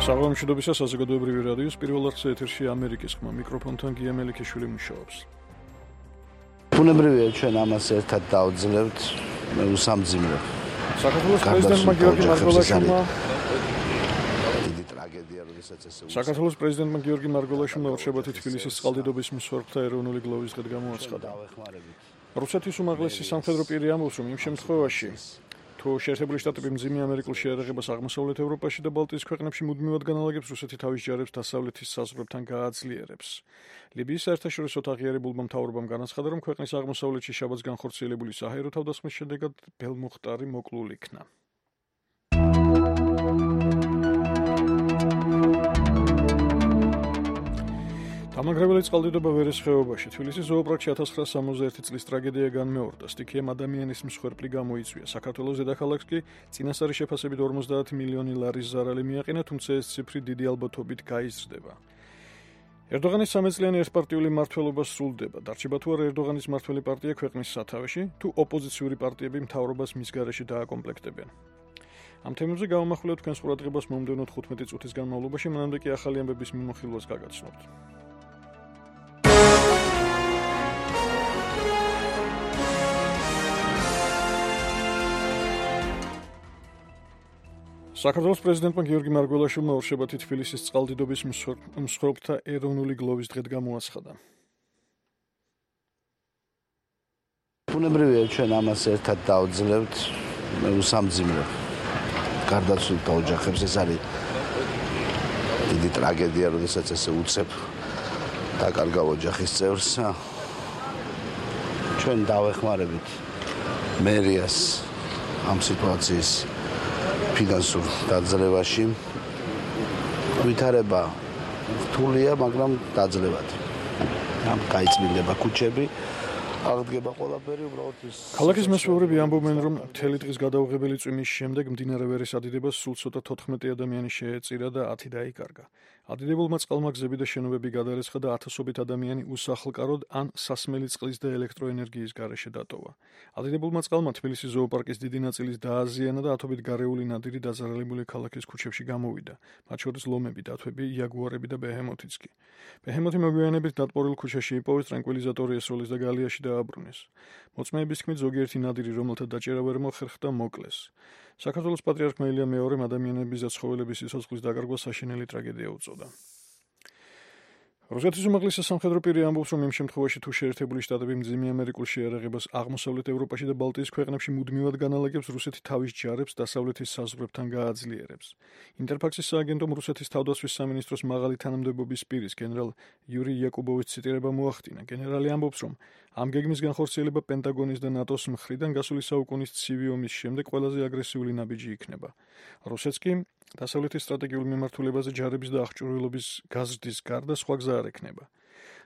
საღამოშობისას საზოგადოებრივი რადიოს პირველ არხზე ეთერში ამერიკის ხმა მიკროფონთან გია მელიქიშვილი მუშაობს. ბუნებრივია ჩვენ ამას ერთად დავძლებთ, მე უსამძიმრებ. საქართველოს პრეზიდენტმა გიორგი მარგველაშვილმა დიდი ტრაგედია, როდესაც ესე საქართველოს პრეზიდენტმა გიორგი მარგველაშვილმა ორშაბათი თბილისის წყალდიდობის მსხვერპლთა ეროვნული გლოვის დღედ გამოაცხადა. რუსეთის უმაღლესი სამხედრო პირი ამბობს, რომ იმ შემთხვევაში თუ შეერთებული შტატები მძიმე ამერიკულ შეერაღებას აღმოსავლეთ ევროპაში და ბალტიის ქვეყნებში მუდმივად განალაგებს, რუსეთი თავის ჯარებს დასავლეთის საზღვრებთან გააძლიერებს. ლიბიის საერთაშორისო აღიარებულმა მთავრობამ განაცხადა, რომ ქვეყნის აღმოსავლეთში შაბათს განხორციელებული საჰაერო თავდასხმის შედეგად ბელმუხტარი მოკლულ იქნა. დამანგრეველი წყალდიდობა ვერეს ხეობაში. თბილისის ზოოპარკში 1961 წლის ტრაგედია განმეორდა. სტიქიამ ადამიანის მსხვერპლი გამოიწვია. საქართველოს დედაქალაქს კი წინასწარი შეფასებით 50 მილიონი ლარის ზარალი მიაყენა, თუმცა ეს ციფრი დიდი ალბათობით გაიზრდება. ერდოღანის სამეწლიანი ერთპარტიული მმართველობა სრულდება. დარჩება თუ არა ერდოღანის მმართველი პარტია ქვეყნის სათავეში, თუ ოპოზიციური პარტიები მთავრობას მის გარეშე დააკომპლექტებენ. ამ თემებზე გავამახვილებთ თქვენს ყურადღებას მომდევნო 15 წუთის განმავლობაში, მანამდე კი ახალი ამბების მიმოხილვას გაგაცნობთ. საქართველოს პრეზიდენტმა გიორგი მარგველაშვილმა ორშაბათი თბილისის წყალდიდობის მსხვერპლთა ეროვნული გლოვის დღედ გამოაცხადა. ბუნებრივია ჩვენ ამას ერთად დავძლებთ, მე უსამძიმრებ. გარდაცვლილთა ოჯახებს ეს არის დიდი ტრაგედია, როდესაც ესე უცებ დაკარგავ ოჯახის წევრს. ჩვენ დავეხმარებით მერიას ამ სიტუაციის ფინანსურ დაძლევაში. ვითარება რთულია, მაგრამ დაძლებათ. ამ გაიწმინდება ქუჩები, აღდგება ყველაფერი, უბრალოდ ის ქალაქის მესვეურები ამბობენ, რომ მთელი დღის გადაუღებელი წვიმის შემდეგ მდინარე ვერის ადიდებას სულ ცოტა 14 ადამიანი შეეწირა და 10 დაიკარგა. ადიდებულმა წყალმა გზები და შენობები გადარესხა და ათასობით ადამიანი უსახლკაროდ ან სასმელი წყლის და ელექტროენერგიის გარეშე დატოვა. ადიდებულმა წყალმა თბილისის ზოოპარკის დიდი ნაწილის დააზიანა და ათობით გარეული ნადირი დაზარალებული ქალაქის ქუჩებში გამოვიდა. მათ შორის ლომები, დათვები, იაგუარები და ბეჰემოთიც კი. ბეჰემოთი მოგვიანებით დატბორილ ქუჩაში იპოვეს, ტრანკვილიზატორი ესროლის და გალიაში დააბრუნეს. მოწმეების თქმით, ზოგიერთი ნადირი, რომელთა დაჭერა ვერ მოხერხდა, მოკლეს. საქართველოს პატრიარქმა ილია მეორემ ადამიანების და ცხოველების სიცოცხლის დაკარგვა საშინელი ტრაგედია უწოდა. რუსეთის უმაღლესი სამხედრო პირი ამბობს, რომ იმ შემთხვევაში თუ შეერთებული შტატები მძიმე ამერიკულ შეერაღებას აღმოსავლეთ ევროპაში და ბალტიის ქვეყნებში მუდმივად განალაგებს, რუსეთი თავის ჯარებს დასავლეთის საზღვრებთან გააძლიერებს. ინტერფაქსის სააგენტომ რუსეთის თავდაცვის სამინისტროს მაღალი თანამდებობის პირის გენერალ იური იაკუბოვის ციტირება მოახდინა. გენერალი ამბობს, რომ ამ გეგმის განხორციელება პენტაგონის და ნატოს მხრიდან გასული საუკუნის ცივი ომის შემდეგ ყველაზე აგრესიული ნაბიჯი იქნება. რუსეთს კი დასავლეთის სტრატეგიულ მიმართულებაზე ჯარების და აღჭურვილობის გაზრდის გარდა სხვა გზა არ ექნება.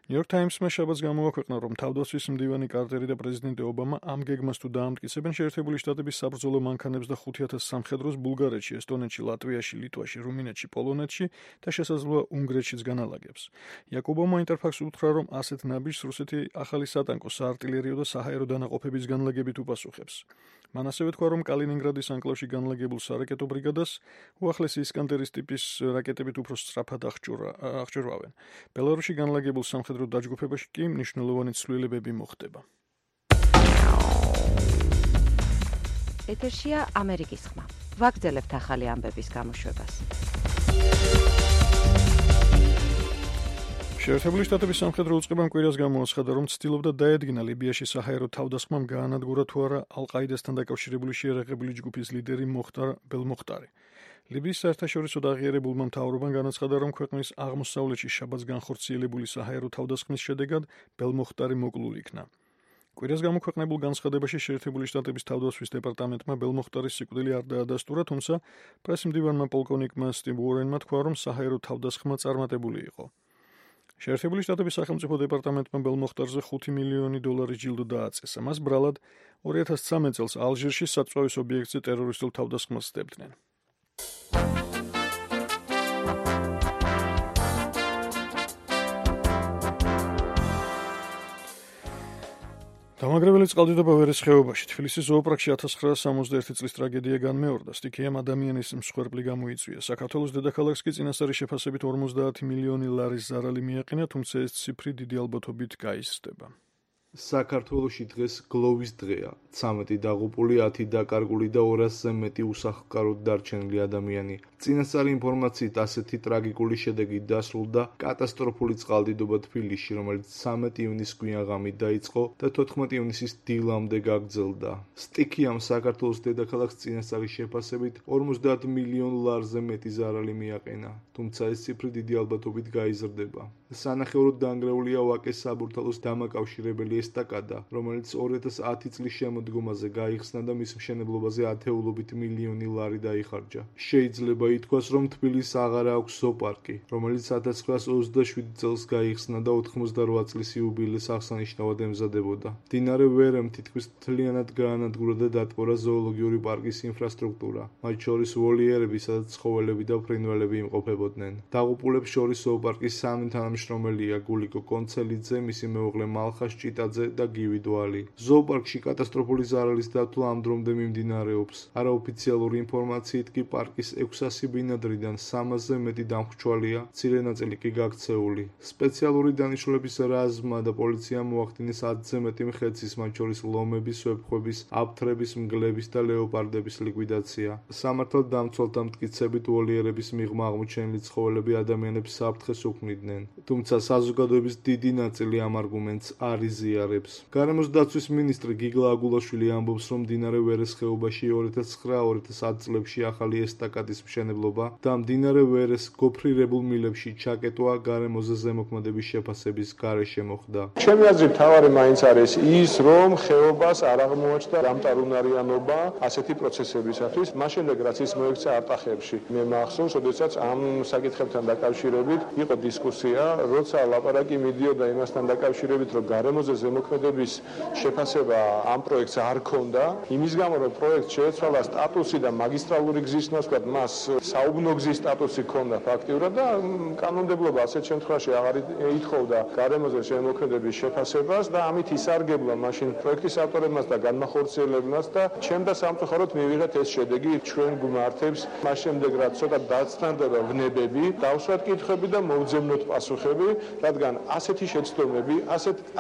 ნიუ-იორკ ტაიმსმა შაბათს გამოაქვეყნა, რომ თავდაცვის მდივანი კარტერი და პრეზიდენტი ობამა ამ გეგმას თუ დაამტკიცებენ, შეერთებული შტატების საბრძოლო მანქანებს და 5000 სამხედროს ბულგარეთში, ესტონეთში, ლატვიაში, ლიტვაში, რუმინეთში, პოლონეთში და შესაძლოა უნგრეთშიც განალაგებს. იაკობოვმა ინტერფაქსს უთხრა, რომ ასეთ ნაბიჯს რუსეთი ახალი სატანკო, საარტილერიო და საჰაერო დანაყოფების განლაგებით უპასუხებს. მან ასევე თქვა, რომ კალინინგრადის ანკლავში განლაგებულ სარაკეტო ბრიგადას უახლესი ისკანდერის ტიპის რაკეტებით უფრო სწრაფად აღჭურვავენ. ბელარუსში განლაგებულ სამხედრო დაჯგუფებაში კი მნიშვნელოვანი ცვლილებები მოხდება. ეთერშია ამერიკის ხმა. ვაგრძელებთ ახალი ამბების გამოშვებას. შეერთებული შტატების სამხედრო უწყებამ კვირას გამოაცხადა, რომ ცდილობდა დაედგინა ლიბიაში საჰაერო თავდასხმამ გაანადგურა თუ არა ალ-ყაიდასთან დაკავშირებული შეერაღებული ჯგუფის ლიდერი მოხტარ ბელმუხტარი. ლიბიის საერთაშორისო აღიარებულმა მთავრობამ განაცხადა, რომ ქვეყნის აღმოსავლეთში შაბათს განხორციელებული საჰაერო თავდასხმის შედეგად ბელმუხტარი მოკლულ იქნა. კვირას გამოქვეყნებულ განცხადებაში შეერთებული შტატების თავდაცვის დეპარტამენტმა ბელმუხტარის სიკვდილი არ დაადასტურა, თუმცა პრესმდივანმა პოლკოვნიკმა სტივ უორენმა თქვა, რომ საჰაერო თავდასხმა წარმატებული იყო. შეერთებული შტატების სახელმწიფო დეპარტამენტმა ბელმუხტარზე $5 მილიონი ჯილდო დააწესა. მას ბრალად 2013 წელს ალჟირში საწვავის ობიექტზე ტერორისტულ თავდასხმას სდებდნენ. დამაგრებელი წყალდიდობა ვერის ხეობაში თბილისის ზოოპარკში 1961 წლის ტრაგედია განმეორდა. სტიქიამ ადამიანის მსხვერპლი გამოიწვია. საქართველოს დედაქალაქს კი წინასწარი შეფასებით 50 მილიონი ლარის ზარალი მიაყენა, თუმცა ეს ციფრი დიდი ალბათობით გაიზრდება. საქართველოში დღეს გლოვის დღეა. 13 დაღუპული, 10 დაკარგული და 200-ზე მეტი უსახლკაროდ დარჩენილი ადამიანი. წინასწარი ინფორმაციით ასეთი ტრაგიკული შედეგი დასრულდა კატასტროფული წყალდიდობა თბილისში, რომელიც 13 ივნისს გვიანღამით დაიწყო და 14 ივნისის დილამდე გაგრძელდა. სტიქიამ საქართველოს დედაქალაქს წინასწარი შეფასებით 50 მილიონ ლარზე მეტი ზარალი მიაყენა, თუმცა ეს ციფრი დიდი ალბათობით გაიზრდება. სანახევროდ დანგრეულია ვაკეს საბურთალოს დამაკავშირებელი ესტაკადა, რომელიც 2010 წლის შემოდგომაზე გაიხსნა და მის მშენებლობაზე ათეულობით მილიონი ლარი დაიხარჯა. შეიძლება ითქვას, რომ თბილისს აღარ აქვს ზოოპარკი, რომელიც 1927 წელს გაიხსნა და 88 წლის იუბილეს აღსანიშნავად ემზადებოდა. მდინარე ვერემ თითქმის მთლიანად გაანადგურა და დატბორა ზოოლოგიური პარკის ინფრასტრუქტურა, მათ შორის ვოლიერები, სადაც ცხოველები და ფრინველები იმყოფებოდნენ. დაღუპულებს შორის ზოოპარკის სამი თანამშრომელია: გულიკო კონცელიძე, მისი მეუღლე მალხა ჭიტაძე და გივი დვალი. ზოოპარკში კატასტროფული ზარალის დათვლა ამ დრომდე მიმდინარეობს. არაოფიციალური ინფორმაციით კი პარკის 600 ბინადრიდან 300-ზე მეტი დამხმჩვალია, მცირე ნაწილი კი გაქცეული. სპეციალური დანიშნულების რაზმმა და პოლიციამ მოახდინეს 10-ზე მეტი მხეცის, მათ შორის ლომების, ვეფხვების, აფთრების, მგლების და ლეოპარდების ლიკვიდაცია. სამართალ დამცველთა მტკიცებით ვოლიერების მიღმა აღმოჩენილი ცხოველები ადამიანებს საფრთხეს უქმნიდნენ, თუმცა საზოგადოების დიდი ნაწილი ამ არგუმენტს არ იზიარებს. გარემოს დაცვის მინისტრი გიგლა აგულაშვილი ამბობს, რომ მდინარე ვერეს ხეობაში 2009-2010 წლებში ახალი ესტაკადის მშენებლობა და მდინარე ვერეს გოფრირებულ მილებში ჩაკეტვა გარემოზე ზემოქმედების შეფასების გარეშე მოხდა. ჩემი აზრით თავარი მაინც არის ის, რომ ხეობას არ აღმოაჩნდა დამტარუნარიანობა ასეთი პროცესებისათვის, მას შემდეგ რაც ის მოექცა არტახებში. მე მახსოვს, როდესაც ამ საკითხებთან დაკავშირებით იყო დისკუსია, როცა ლაპარაკი მიდიოდა იმასთან დაკავშირებით, რომ გარემოზე ზემოქმედების შეფასება ამ პროექტს არ ქონდა, იმის გამო, რომ პროექტს შეეცვალა სტატუსი და მაგისტრალური გზის ნაცვლად მას საუბნო გზის სტატუსი ქონდა ფაქტიურად და კანონმდებლობა ასეთ შემთხვევაში აღარ ითხოვდა გარემოზე ზემოქმედების შეფასებას და ამით ისარგებლა მაშინ პროექტის ავტორებმაც და განმახორციელებელნაც და ჩემ და სამწუხაროდ მივიღეთ ეს შედეგი ჩვენ გვმართებს მას შემდეგ რაც ცოტა დაწნდება ვნებები, დავსვათ კითხვები და მოვძებნოთ პასუხები, რადგან ასეთი შეცდომები,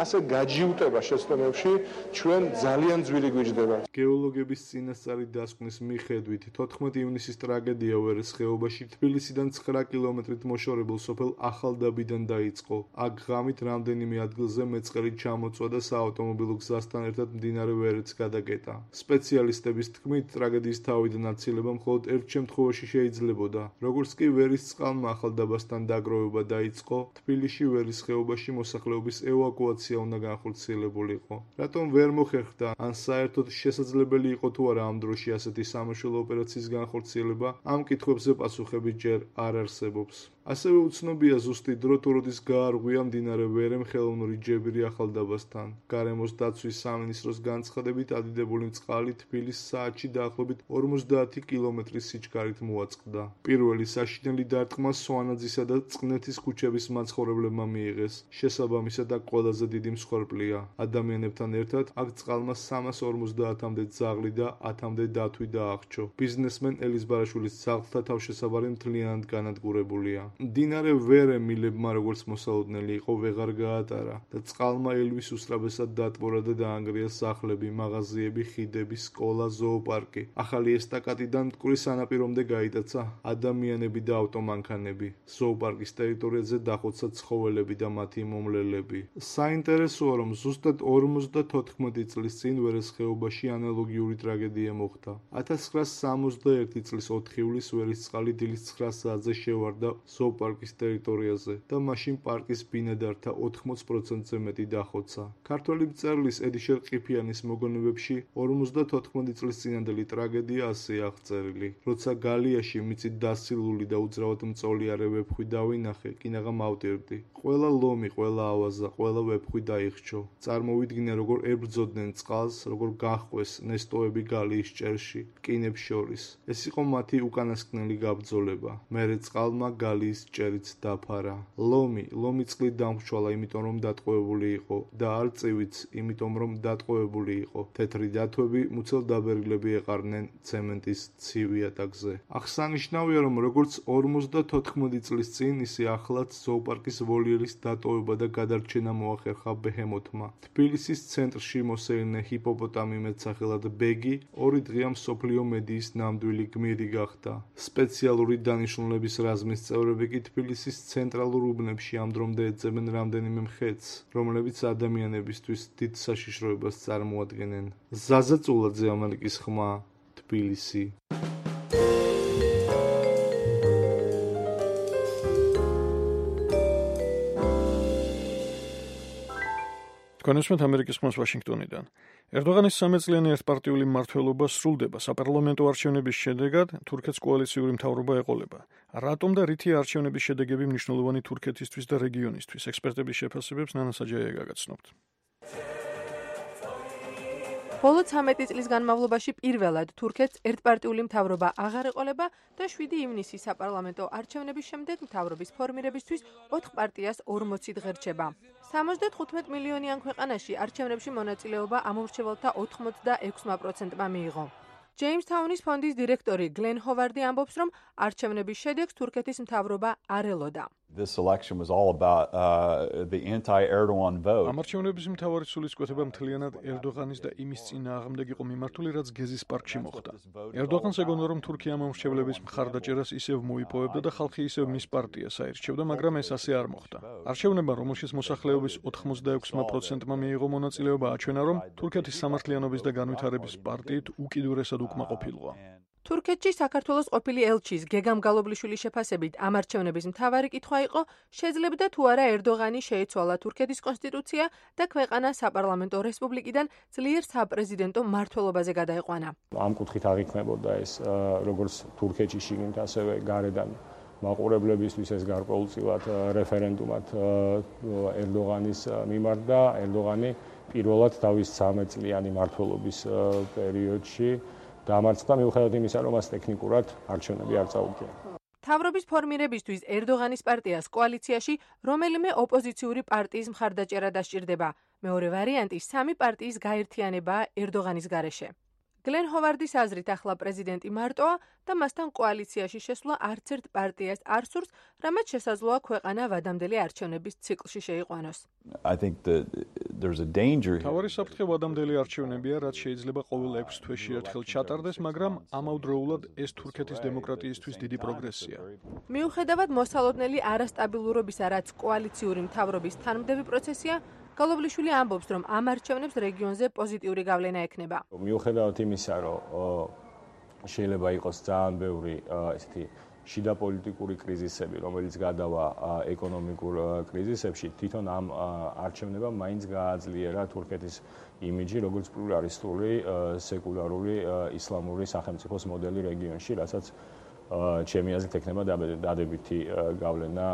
ასე გაჯიუტება შეცდომებში ჩვენ ძალიან ძვირი გვიჯდება. გეოლოგების წინასწარი დასკვნის მიხედვით 14 ივნისის ტრაგედია ვერეს ხეობაში თბილისიდან 9 კილომეტრით მოშორებულ სოფელ ახალდაბიდან დაიწყო. აქ ღამით რამდენიმე ადგილზე მეწყერი ჩამოწვა და საავტომობილო გზასთან ერთად მდინარე ვერეც გადაკეტა. სპეციალისტების თქმით, ტრაგედიის თავიდან აცილება მხოლოდ ერთ შემთხვევაში შეიძლებოდა. როგორც კი ვერის წყალმა ახალდაბასთან დაგროვება დაიწყო, თბილისში ვერის ხეობაში მოსახლეობის ევაკუაცია უნდა განხორციელებულიყო. რატომ ვერ მოხერხდა, ან საერთოდ შესაძლებელი იყო თუ არა ამ დროში ასეთი სამაშველო ოპერაციის განხორციელება, ამ კითხვებზე პასუხები ჯერ არ არსებობს. ასევე უცნობია ზუსტი დრო, თუ როდის გაარღვია მდინარე ვერემ ხელოვნური ჯებირი ახალდაბასთან. გარემოს დაცვის სამინისტროს განცხადებით, ადიდებული წყალი თბილის საათში დაახლოებით 50 კილომეტრის სიჩქარით მოაწყდა. პირველი საშინელი დარტყმა სვანაძისა და წყნეთის ქუჩების მაცხოვრებლებმა მიიღეს. შესაბამისად, აქ ყველაზე დიდი მსხვერპლია. ადამიანებთან ერთად აქ წყალმა 350-მდე ძაღლი და 10-მდე დათვი დაახრჩო. ბიზნესმენ ელის ბარაშვილის ძაღლთა თავშესაბარი მთლიანად განადგურებულია. მდინარე ვერე მილებმა როგორც მოსალოდნელი იყო ვეღარ გაატარა და წყალმა ელვის უსწრაფესად დატბორა და დაანგრია სახლები, მაღაზიები, ხიდები, სკოლა, ზოოპარკი. ახალი ესტაკადიდან მტკვრის სანაპირომდე გაიტაცა ადამიანები და ავტომანქანები. ზოოპარკის ტერიტორიაზე დახოცა ცხოველები და მათი მომლელები. საინტერესოა, რომ ზუსტად 54 წლის წინ ვერეს ხეობაში ანალოგიური ტრაგედია მოხდა. 1961 წლის 4 ივლისს ვერის წყალი დილის 9 საათზე შევარდა ზოოპარკის ტერიტორიაზე და მაშინ პარკის ბინადართა 80%-ზე მეტი დახოცა. ქართველი მწერლის ედიშერ ყიფიანის მოგონებებში 54 წლის წინანდელი ტრაგედია ასეა აღწერილი. როცა გალიაში მიწით დასილული და უძრავად მწოლიარე ვეფხვი დავინახე, კინაღა მავტირდი. ყველა ლომი, ყველა ავაზა, ყველა ვეფხვი დაიხრჩო. წარმოვიდგინე, როგორ ებრძოდნენ წყალს, როგორ გაჰყვეს ნესტოები გალიის ჭერში, რკინებს შორის. ეს იყო მათი უკანასკნელი გაბრძოლება. მერე წყალმა გალიის ხის ჭერიც დაფარა. ლომი წყლით დამრჩალა, იმიტომ რომ დატყვევებული იყო და არწივიც, იმიტომ რომ დატყვევებული იყო. თეთრი დათვები მუცელ დაბერილები ეყარნენ ცემენტის ცივი ატაკზე. აღსანიშნავია, რომ როგორც 54 წლის წინ, ისე ახლაც ზოოპარკის ვოლიერის დატოვება და გადარჩენა მოახერხა ბეჰემოთმა. თბილისის ცენტრში მოსეირნე ჰიპოპოტამი მეტსახელად ბეგი 2 დღეა მსოფლიო მედიის ნამდვილი გმირი გახდა. სპეციალური დანიშნულების რაზმის წევრები კი თბილისის ცენტრალურ უბნებში ამ დრომდე ეძებენ რამდენიმე მხეცს, რომლებიც ადამიანებისთვის დიდ საშიშროებას წარმოადგენენ. ზაზა წულაძე, ამერიკის ხმა, თბილისი. კონსმეთ ამერიკის ხმას ვაშინგტონიდან. ერდოღანის სამეწლიანი ერთპარტიული მმართველობა სრულდება საპარლამენტო არჩევნების შედეგად, თურქეთს კოალიციური მთავრობა ეყოლება. რატომ და რითი არჩევნების შედეგები მნიშვნელოვანი თურქეთისთვის და რეგიონისთვის? ექსპერტების შეფასებებს ნანა საჯაია გაგაცნობთ. ბოლო 13 წლის განმავლობაში პირველად თურქეთს ერთპარტიული მთავრობა აღარ ეყოლება და 7 ივნისის საპარლამენტო არჩევნების შემდეგ მთავრობის ფორმირებისთვის 4 პარტიას 40 დღე რჩება. 75 მილიონიან ქვეყანაში არჩევნებში მონაწილეობა ამომრჩეველთა 86%-მა მიიღო. ჯეიმსთაუნის ფონდის დირექტორი გლენ ჰოვარდი ამბობს, რომ არჩევნების შედეგს თურქეთის მთავრობა არ ელოდა. This election was all about the anti-Erdogan vote. ამ არჩევნების მთავარი სულისკვეთება მთლიანად ერდოღანის და იმის წინააღმდეგ იყო მიმართული, რაც გეზის პარკში მოხდა. ერდოღანს ეგონა, რომ თურქია მომრჩევლების მხარდაჭერას ისევ მოიპოვებდა და ხალხი ისევ მის პარტიას აირჩევდა, მაგრამ ეს ასე არ მოხდა. არჩევნებმა, რომელშიც მოსახლეობის 86%-მა მიიღო მონაწილეობა, აჩვენა, რომ თურქეთის სამართლიანობის და განვითარების პარტიით უკიდურესად უკმაყოფილოა. თურქეთში საქართველოს ყოფილი ელჩის გეგამ გალობლიშვილის შეფასებით ამ არჩევნების მთავარი კითხვა იყო, შეძლებდა თუ არა ერდოღანი შეეცვალა თურქეთის კონსტიტუცია და ქვეყანა საპარლამენტო რესპუბლიკიდან ძლიერ საპრეზიდენტო მმართველობაზე გადაეყვანა. ამ კუთხით აღიქმებოდა ეს როგორც თურქეთში შიგნით, ასევე გარედან მაყურებლებისთვის ეს გარკვეულწილად რეფერენდუმად ერდოღანის მიმართ და ერდოღანი პირველად თავის 13 წლიანი მმართველობის პერიოდში დამარცხდა მიუხედავად იმისა, რომ მას ტექნიკურად არჩევნები არ წაუგია. მთავრობის ფორმირებისთვის ერდოღანის პარტიას კოალიციაში რომელიმე ოპოზიციური პარტიის მხარდაჭერა დასჭირდება. მეორე ვარიანტი 3 პარტიის გაერთიანებაა ერდოღანის გარეშე. გლენ ჰოვარდის აზრით ახლა პრეზიდენტი მარტოა და მასთან კოალიციაში შესვლა არც ერთ პარტიას არ სურს, რამაც შესაძლოა ქვეყანა ვადამდელი არჩევნების ციკლში შეიყვანოს. I think that there's a danger. თავარი საფრთხე ვადამდელი არჩევნებია, რაც შეიძლება ყოველ 6 თვეში ერთხელ ჩატარდეს, მაგრამ ამავდროულად ეს თურქეთის დემოკრატიისთვის დიდი პროგრესია. მიუხედავად მოსალოდნელი არასტაბილურობისა, რაც კოალიციური მთავრობის თანმდევი პროცესია, გალობლიშვილი ამბობს, რომ ამ არჩევნებს რეგიონზე პოზიტიური გავლენა ექნება. მიუხედავად იმისა, რომ შეიძლება იყოს ძალიან ბევრი ესეთი შიდა პოლიტიკური კრიზისები, რომელიც გადავა ეკონომიკურ კრიზისებში, თვითონ ამ არჩევნებამ მაინც გააძლიერა თურქეთის იმიჯი, როგორც პლურალისტური, სეკულარული, ისლამური სახელმწიფოს მოდელი რეგიონში, რასაც ჩემი აზრით ექნება დადებითი გავლენა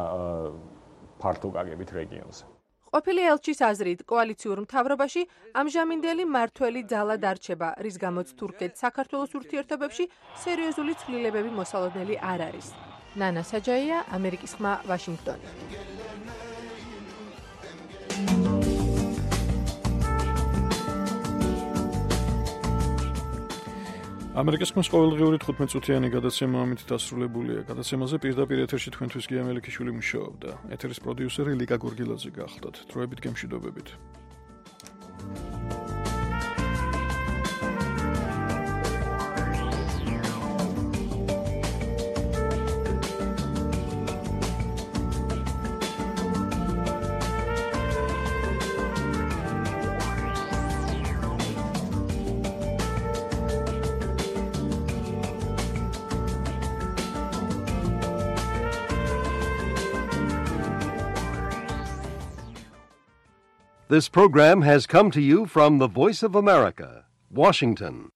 ფართო გაგებით რეგიონზე. ყოფილი ელჩის აზრით, კოალიციურ მთავრობაში ამჟამინდელი მმართველი ძალა დარჩება, რის გამოც თურქეთს საქართველოს ურთიერთობებში სერიოზული ცვლილებები მოსალოდნელი არ არის. ნანა საჯაია, ამერიკის ხმა, ვაშინგტონი. ამერიკის ხმის ყოველდღიური 15 წუთიანი გადაცემა ამით დასრულებულია. გადაცემაზე პირდაპირ ეთერში თქვენთვის გია მელიქიშვილი მუშაობდა. ეთერის პროდიუსერი ლიკა გორგილაძე გახლდათ. დროებით გემშვიდობებით. This program has come to you from the Voice of America, Washington.